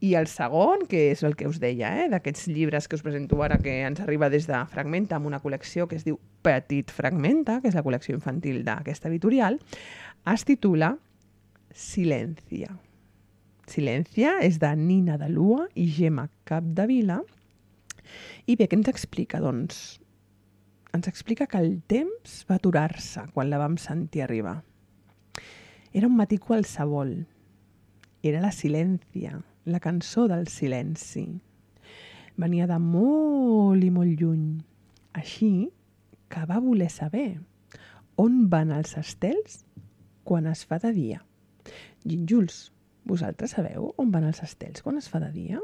I el segon, que és el que us deia, d'aquests llibres que us presento ara, que ens arriba des de Fragmenta, amb una col·lecció que es diu Petit Fragmenta, que és la col·lecció infantil d'aquesta editorial, es titula Silència. Silència és de Nina de Lua i Gemma Capdevila. I bé, què ens explica? Doncs ens explica que el temps va aturar-se quan la vam sentir arribar. Era un matí qualsevol. Era la Silència, la cançó del silenci. Venia de molt i molt lluny. Així que va voler saber on van els estels quan es fa de dia. Gínjols, vosaltres sabeu on van els estels quan es fa de dia?